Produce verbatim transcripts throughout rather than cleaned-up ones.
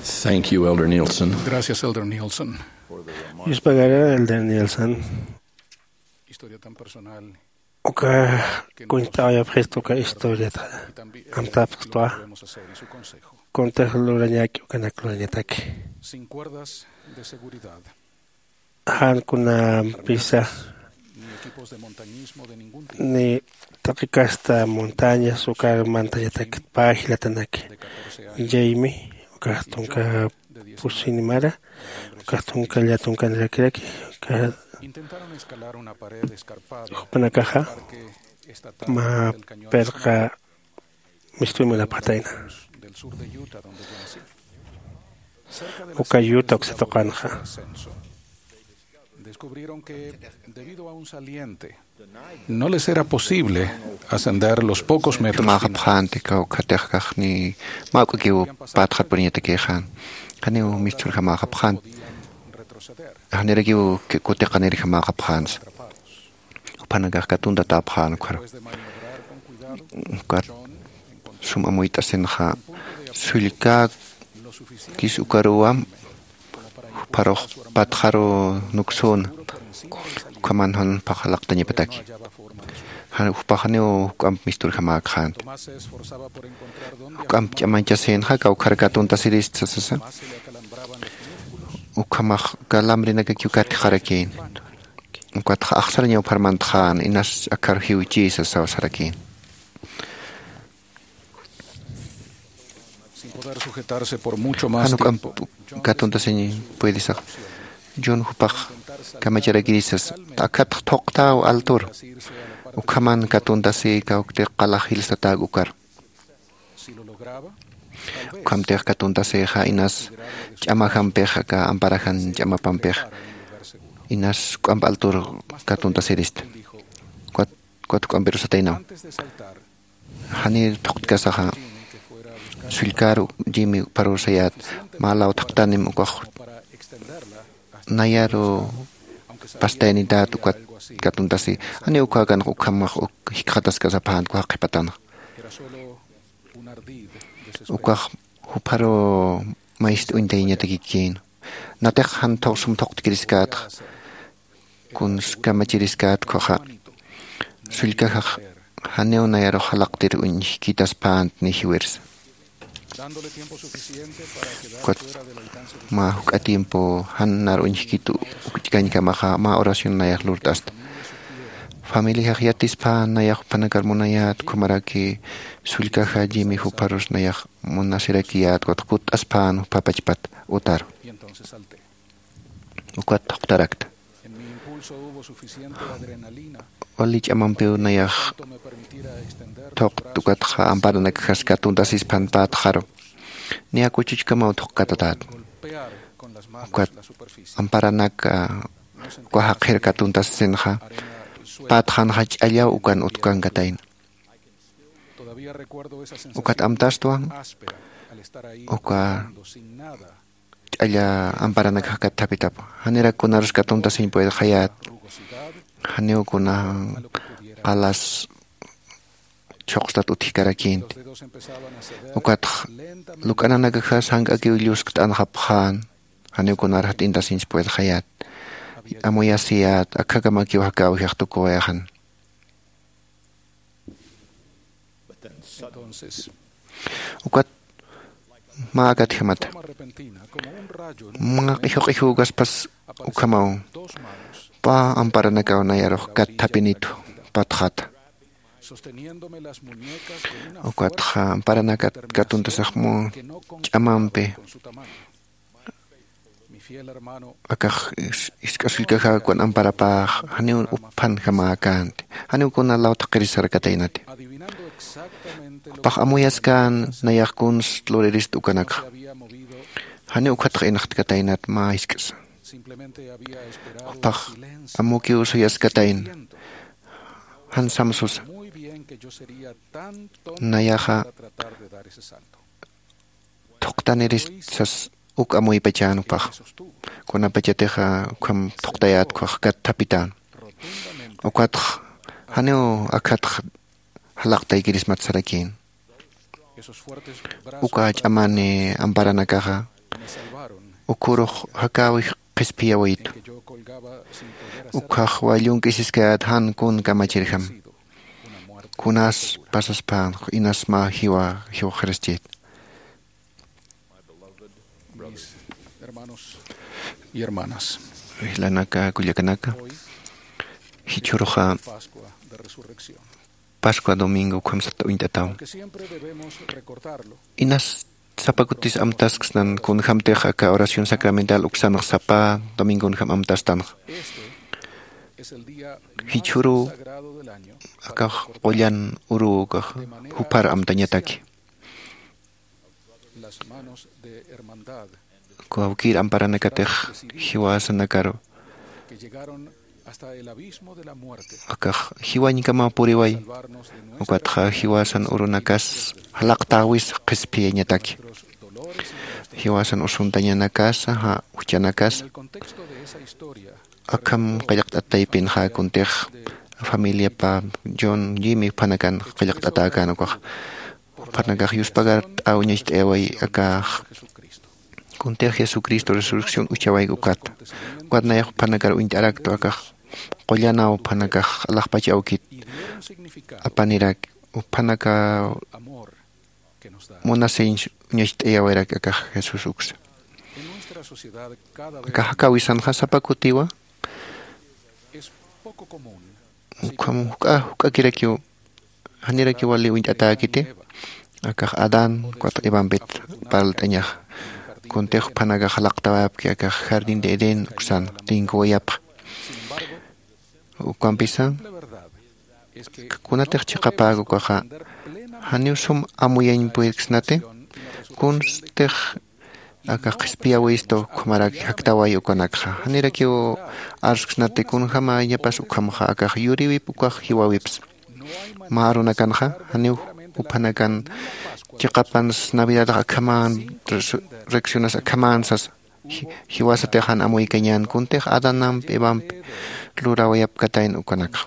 Thank you, Elder Nielsen. Gracias, Elder Nielsen. Yuspagara, Elder Nielsen. Historia tan personal. Uka kuñt'awayapxist uka historiata. Amtapxtwa. Kuntix lurañaki ukanak lurañataki. Sin cuerdas de seguridad. Jan kunampisa ni taqi kasta montañas ukar mantañatak pä jilatanaki. Jaymi ukax tunka pusinimara, ukax tunka llatunkanrakiraki. Jupanakaxa mä pirqa mistuy munapxatayna. Uka Utah uksatuqanxa. Descubrieron que, debido a un saliente, no les era posible ascender los pocos metros finales. Mäxapxänti kawkhatix kaxni mä uk'akiw patxar puriñatakïxän. Janiw mistur jamäxapxänti. Janirakiw kutiqanir jamäxapxänsa. Jupanakax katuntatäpxän ukhar. Ukat sum amuyt'asinxa sullkäkis ukaruwam jupharux patxaru nuksüna. Ukhaman jan jupax jalaqtañapataki. Jan jupax janiw juk'amp misturjamäkxänti. Juk'amp ch'amañchasïnxa kawkhar katuntasirista sasa. Ukhamax kalambrinakakiw katjxarakïn. Ukatxa axsarañaw pharmantxän inas akhar jiwchïsa sasarakïn. Jan juk'amp katuntasiñ puedisax. John jupax kamacharakirisas. Akhatx thuqtäw altur. Ukhaman katuntasï kawktix qalax jilsatäk ukar. Ukhamtix katuntasïxa inas ch'amajampix aka amparajan ch'amapampix inas juk'amp altur katuntasirista. Ukat juk'ampirus sataynaw. Janir thuqtkasaxa sullkar jimi jupharur sayät mä law thaqtanim ukax nayaru pastaynität ukat katuntasi. Janiw ukhäkanx ukhamax uk jikxataskasapxänti ukax qhipatanxa. Ukax jupharu mayist uñtayañatakikïn. Natix jan sum thuqtkiriskätxa. Kuns kamachiriskät ukhaxa sullkajax janiw nayarux jalaqtir uñjkitaspänti ni jiwirsa. Ukat mä juk'a tiempo jan nar uñjkit ukch'kañkamaxa mä oración nayax lurt'asta. Familiajax yatispän nayax juphanakar munayät ukhamaraki sullkaja jimi jupharus nayax munasirakiyät ukat kutt'aspän jupa pachpat utaru. Ukat thuqtarakta. Wali ch'amampiw nayax thuqt ukatxa amparanakjas katuntasispan pätxaru. Niya kuchuchkamaw thuqkatatät. Ukat amparanak uka jaqir katuntasisinxa pätxanxa ch'allaw ukan utkankatayna. Ukat amtastwa uka ch'alla amparanakax kathapitap. Janirak kunarus katuntasiñ puedxayät. Janiw kuna qalas chhuqstat utjkarakïnti. Ukatx luk'ananakaxas jank'akiw lluskt'anxapxän. Janiw kunar jat'intasiñs puedxayät. Amuyasiyät akhakamakiw jakäwjix tukuwayxan. Ukat mä akatjamata mä q'ijuq'ijukaspas ukhamaw pä amparanakaw nayarux kat thapinitu patxata. Ukatxa amparanakat katuntasaxmu ch'amampi akax isk'asullkajakuwan amparapax janiw uphanjamäkänti. Janiw kuna lawthaqirisarkataynati. Pax amuyaskän nayax kuns luririst ukanakxa. Janiw ukhatx inxtkataynat mä isk'sa. Jupax amukiw suyaskatayna jan samsusa. Nayaxa thuqtaniristsas uk amuypachänupax. Kunapachatixa ukham thuqtayät ukhax kat thapitän. Ukatx janiw akhatx jalaqtaykirismat sarakïn. Uka ch'amani amparanakaxa Ukhurux jakäwix qhispiyäwitu. Ukhax wallunk'isiskayät jan kun kamachirjam. Kunas pasaspän inas mä jiwa jiwxaraschit. Mis hermanos y hermanas. Ijlanaka kullakanaka, jichhüruxa Pascua de Resurrección. Pascua domingo ukham sata uñt'ataw. Aunque siempre debemos recordarlo, inas sapa kutis amtasksnan kunjämtix aka oración sacramental uksanx sapa domingonjam amtastanx. Este es el día más sagrado del año. Jichhüru akax qullan uruw ukax jupar amtañataki. Las manos de hermandad. Kawkïr amparanakatix jiwasanakaru. Que llegaron hasta el abismo de la muerte. Akax jiwañkamaw puriway. Salvarnos de nuestra Ukatxa jiwasan urunakas jalaqtäwis qhispiyañataki. Nuestros dolores y nuestras Jiwasan usuntañanakasa, ja, juchanakas. En el contexto de esa historia, akham qillqt'at taypinxa kuntix familiapa John Jimmy uphanakan qillqt'atäkän ukax. Juphanakax yuspagart'aw ñacht'ayaway akax. Kuntix Jesucristo resurrección uchawayk ukat. Ukat nayax juphanakar uñt'araktu akax. Qullanaw juphanakax alaxpach awkit apanirak. Juphanaka munasiñ ñacht'ayawayarak akax Jesús uksa. Akax jakäwisanxa sapa kutiwa. Ukham juk'a, juk'akirakiw, janirakiw wali uñt'atäkiti. Akax Adán ukat Evampit parlt'añaxa. Kuntix juphanakax jalaqtawayapki akax jardín de Edén uksan tinkuwayapxa. Ukampisa kunatix chiqapäk ukaxa, janiw sum amuyañ puyirksnati, kunstix akax qhispiyäwistu ukhamaraki jaktaway ukanakxa. Janirakiw arsksnati kunjämañapas ukhamxa akax yuriwip ukax jiwäwips. Mä arunakanxa janiw juphanakan chiqapans Navidadax akhaman, resu-, resurreccionas akhaman sas. Ji-, jiwasatix jan amuykañän kuntix Adanamp Evamp lurawayapkatayna ukanakxa.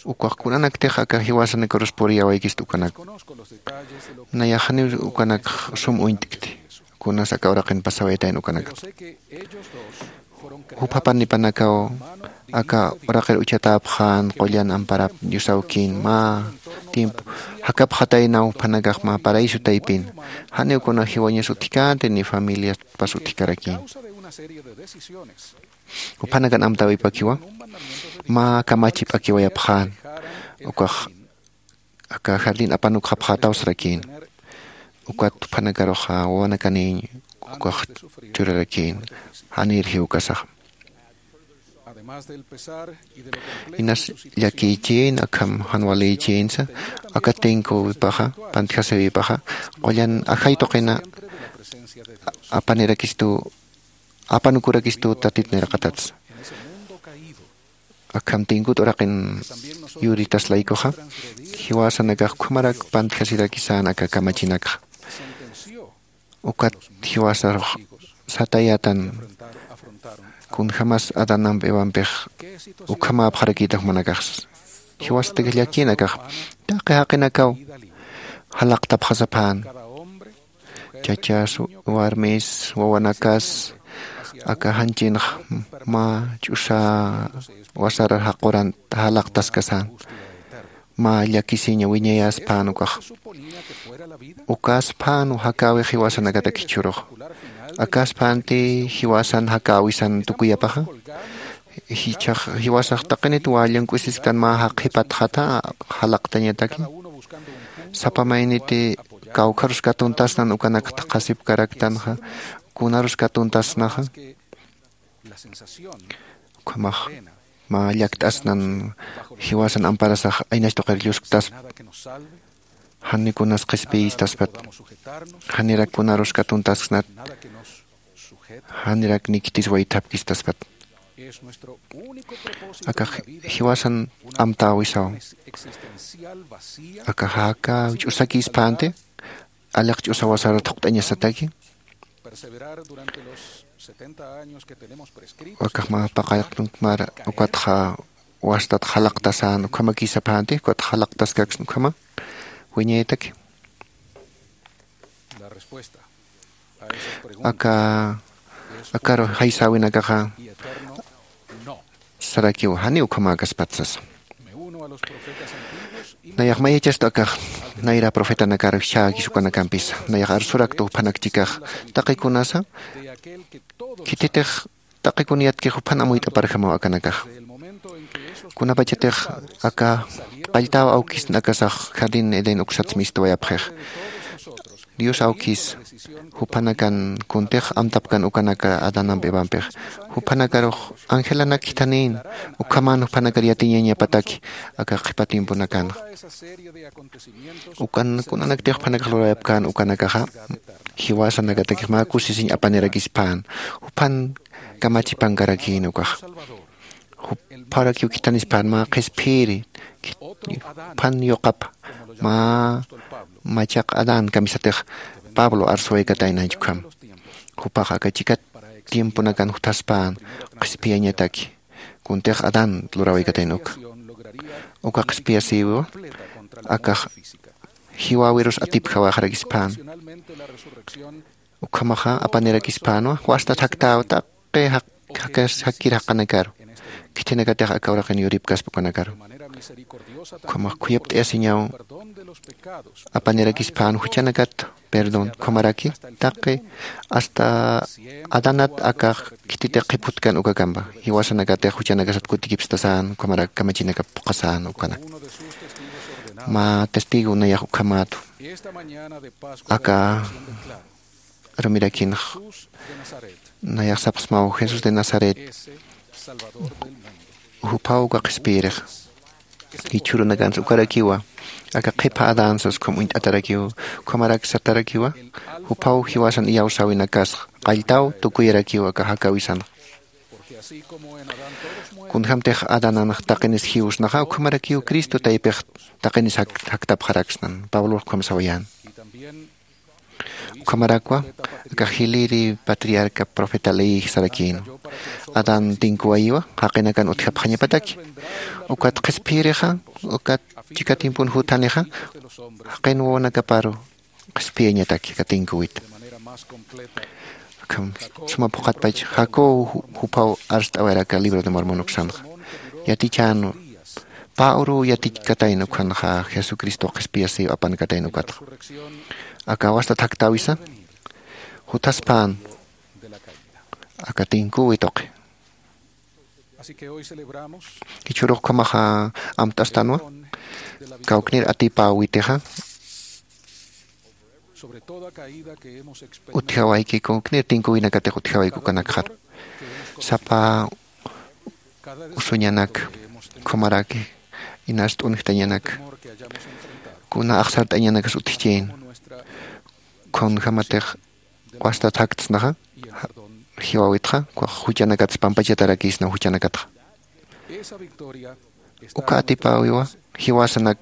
Ukax kunanaktix aka jiwasanakarus puriyäwaykista ukanak. Nayax janiw ukanakx sum uñt'kti. Kunas aka uraqin pasawayatayna ukanakxa. Jupha panipanakaw aka uraqir uchatäpxän qullan amparap Dios awkin mä tiempo jakapxataynaw juphanakax mä paraíso taypin. Janiw kuna jiwañas utjkänti ni familiaspas utjkarakïn. Juphanakan amtäwipakiwa mä kamachi p'akiwayapxän. Ukax aka jardín apanukxapxätaw sarakïn. Ukat juphanakaruxa wawanakaniñ ukax churarakïn. Janïr jiwkasaxa. Inas llakïchïn akham jan walïchïnsa aka tinkuwipaxa, pantjasiwipaxa, qullan ajay tuqina apanirakistu, apanukurakistu Tatit niraqatatsa. Akham tinkut uraqin yuritas laykuxa, jiwasanakax ukhamarak pantjasirakisän aka kamachinakxa. Ukat jiwasarux satayätan kunjämas Adanamp Evampix ukhamäpxarakïta jumanakax. Jiwasatak llakïn akax, taqi jaqinakaw jalaqtapxasapxän. Chachas, warmis, wawanakas, aka janchinx mä ch'usa wasarar jaquran jalaqtaskasän. Mä llakisiñ wiñayäspän ukax. Ukaspän jakäwix jiwasanakatak jichhürux. Akaspänti jiwasan jakäwisan tukuyapaxa. Jichhax jiwasax taqinit wallunk'isisktan mä jaqhipatxata jalaqtañataki. Sapa mayniti kawkharus katuntasnan ukanakta qhasipkaraktanxa, kunarus katuntasnaxa. Ukhamax mä llakt'asnan jiwasan amparasax aynax tuqir llusktaspa. Jani kunas qhispiyistaspat. Janirak kunarus katuntasksnat. Janirak niktis waythapkistaspat. Akax jiwasan amtäwisaw. Akax aka ch'usakïspänti, aliq ch'usa wasar thuqt'añasataki. Akax mä paqallqtun ukhamar ukatxa wastat jalaqtasän ukhamakïsapänti, ukatxa jalaqtaskaksna ukhama wiñayataki. La respuesta. Aka akaru jaysäwinakaxa sarakiw janiw ukhamäkaspati sasa. Nayax mayachastu akax nayra profetanakaru jichhäkis ukanakampisa nayax arsuraktu juphanak chikax, taqi kunasa khititix taqi kun yatkix juphan amuyt'aparjamaw akanakaxa. Kunapachatix aka qalltäw awkisnakasax jardín edén uksats mistuwayapxix, dios awkis juphanakan kuntix amtapkan ukanaka adanamp evampix, juphanakarux angelanak khithanïn ukhaman juphanakar yatiñañapataki aka qhipa tiemponakanxa. Ukan kunanaktix juphanakax lurawayapkän ukanakaxa jiwasanakatakix mä kusisiñ apanirakispän juphan kamachipankarakïn ukaxa. Jupharakiw khithanispän mä qhispiyiri juphan yuqapa mä machaq adán kamisatix pablo arsuwaykataynañchukam. Jupax aka chika tiemponakan juthaspän qhispiyañataki kuntix adán lurawaykatayn uka. Uka qhispiyasïwiwa akax jiwäwirus atipjawaxarakispän. Ukhamaxa apanirakispänwa wastat jaktäw taqi jakkir jaqanakaru khithinakatix aka uraqin yuripkaspa ukanakaru. Ukhamax khuyapt'ayasiñaw apanirakispän juchanakat perdón ukhamaraki taqi hasta adanat aka khititix qhipjutkan ukakampa jiwasanakatix juchanakasat kutikipstasän ukhamarak kamachinakap phuqhasän ukanak. Mä testigo nayax ukhamätu aka arumirakinx nayax sapxsmaw jesús de nazaret juphaw uka qhispiyirixa. Jichhürunakansa ukarakiwa aka qhipha adán sas ukham uñt'atarakiw ukhamarak satarakiwa juphaw jiwasan iyawsäwinakasxa qalltaw tukuyarakiw aka jakäwisanxa. Kunjämtix adananx taqinis jiwsnaxa ukhamarakiw cristo taypix taqinis jaktapxaraksnan pablox ukham sawayän. Ukhamarakwa aka jiliri patriarca profeta leyi sarakïnwa. Adán tinkuwayiwa jaqinakan utjapxañapataki. Ukat qhispiyirixa ukat chika tiempon juthanixa jaqin wawanakaparu qhispiyañataki aka tinkuwita. Akham suma phuqhatpach jacob juphaw arst'awayar aka libro de mormon uksanxa. Yatichänwa pä uruw yatichkatayna ukhanxa jesucristo qhispiyasïw apankatayna ukatxa. Aka wastat jaktäwisa juthaspän aka tinkuwi tuqi. Jichhürux ukhamaxa amt'astanwa kawknir atipäwitixa utjawayki kawknir tinkuwinakatix utjawayki ukanakxar. Sapa usuñanak ukhamaraki inas t'unjtañanak kuna axsart'añanakas utjchïn. Kunjämatix wastat jaktsnaxa jiwäwitxa juchanakatsa pampachatarakïsna juchanakatxa. Uka atipäwiwa jiwasanak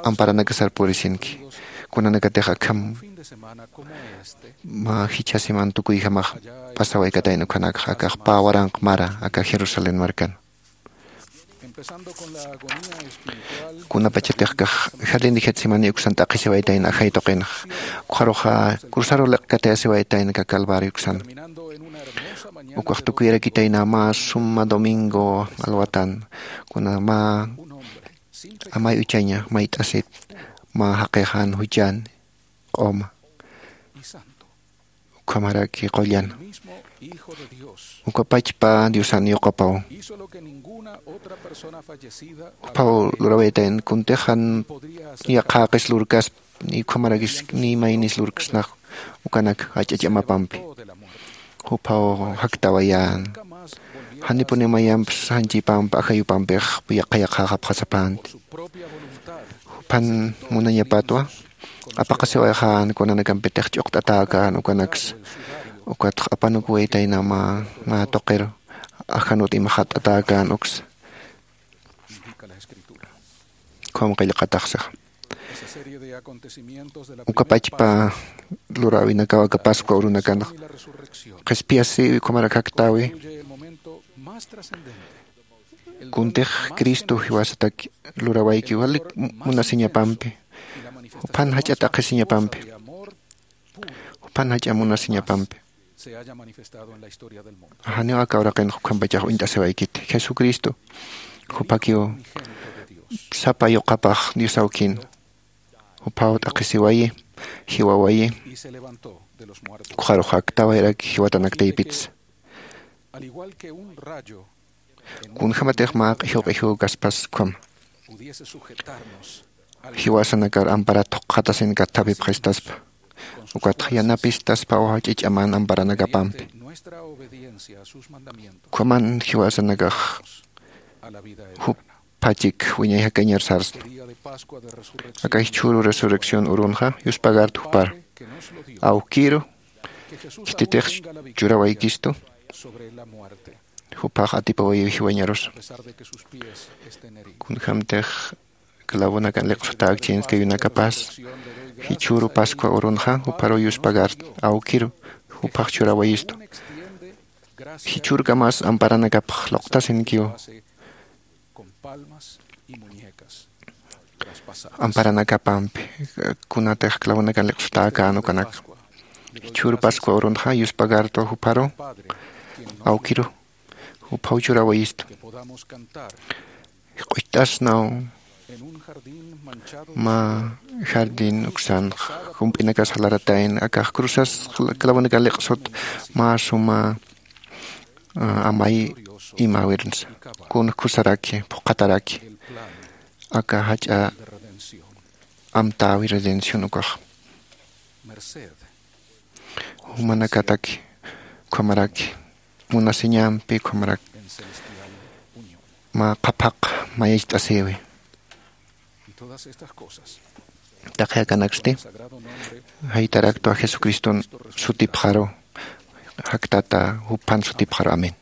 amparanakasar purisinki. Kunanakatix akham mä jichha siman tukuyjamax pasawaykatayna ukhanakxa akax pä waranq mara aka jerusalén markan. Kunapachatix kax jardín de getsemaní uksan t'aqhisiwaytayna ajay tuqinxa ukxaruxa cruzaru liqkatayasiwaytayna aka calvario uksan. Ukax tukuyarakitayna mä suma domingo alwatan kuna mä amay uchaña mayt'asit mä jaqixan juchan q'uma ukhamaraki qullan. Ukapachpa diosan yuqapaw juphaw lurawaytayan kuntixan yaqhäqis lurkasp ni ukhamarakis ni maynis lurksnax ukanak jach'a ch'amapampi juphaw jaktawayan. Janipuni mayamps janchipamp ajayupampix yaqha yaqhäxapxasapänti. Juphan munañapatwa apaqasiwayxän kunanakampitix ch'uqt'atäkän ukanaksa. Ukatx apanukuwaytayna mä tuqiru ajanut imaxat'atäkän uksa. Ukham qillqataxsixa ukapachpa luräwinakaw aka pascua urunakanx qhispiyasïwi ukhamarak jaktäwi. Kuntix cristo jiwasatak lurawayki walik munasiñapampi juphan jach'a t'aqhisiñapampi Jupan jach'a munasiñapampi. Janiw aka uraqinxa ukhampachax uñt'asiwaykiti. Jesucristo jupakiw sapa yuqapax Dios awkin. Juphaw t'aqhisiwayi, jiwawayi, ukxarux aktawayraki jiwatanaktaypitsa. Kunjämatix mä q'ijuw q'ijuw kaspas ukhama jiwasanakar amparat jukxatasin kathapipxistaspa. Ukatxa yanapistaspa jach'a ch'aman amparanakapampi. Ukhaman jiwasanakax juphachik wiñay jakañar sarsna. Aka jichhüru resurrección urunxa yuspagartu jupar, awkiru khititix churawaykistu. Juphax atipawayiw jiwañarusa. Kunjämtix clavonakan liqsutäkchins kayunakapas, jichhüru pascua urunxa jupharuw yuspagartu, awkiru juphax churawayistu. Jichhürkamas amparanakapx luqtasinkiw. Amparanakapampi kunatix clavonakan liqsutäkän ukanak, jichhüru pascua urunxa yuspagartu jupharu, awkiru juphaw churawayistu. Q'ucht'asnaw mä jardín uksanx jump'inakas jalaratayn, akax cruzas clavonakan liqsut mä suma amay imäwirnsa. Kun kusaraki phuqhataraki aka jach'a amtäwi redención ukax. Jumanakataki ukhamaraki munasiñampi ukhamarak mä qhaphaq mayacht'asïwi. Taqi akanaksti jaytaraktwa jesucriston sutipxaru, jaktata juphan sutipxaru. Amén.